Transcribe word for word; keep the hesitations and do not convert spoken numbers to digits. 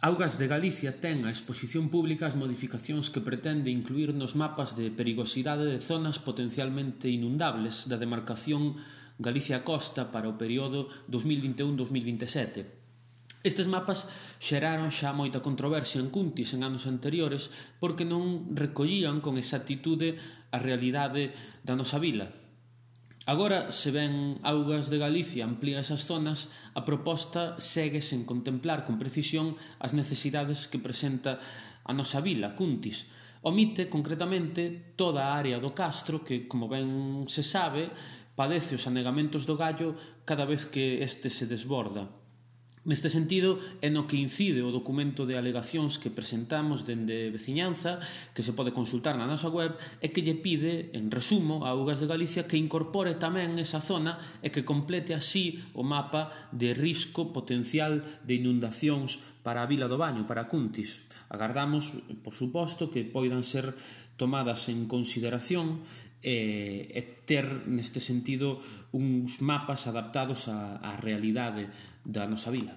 Augas de Galicia ten a exposición pública as modificacións que pretende incluír nos mapas de perigosidade de zonas potencialmente inundables da demarcación Galicia Costa para o período dos mil vinte e un a dos mil vinte e sete. Estes mapas xeraron xa moita controversia en Cuntis en anos anteriores porque non recollían con exactitude a realidade da nosa vila. Agora, se ben Augas de Galicia amplía esas zonas, a proposta segue sen contemplar con precisión as necesidades que presenta a nosa vila, Cuntis. Omite, concretamente, toda a área do Castro que, como ben se sabe, padece os anegamentos do Gallo cada vez que este se desborda. Neste sentido, é no que incide o documento de alegacións que presentamos dende Veciñanza, que se pode consultar na nosa web, e que lle pide, en resumo, a Augas de Galicia que incorpore tamén esa zona e que complete así o mapa de risco potencial de inundacións para a Vila do Baño, para Cuntis. Agardamos, por suposto, que poidan ser tomadas en consideración e, e ter, neste sentido, uns mapas adaptados á, á realidade da nosa vila.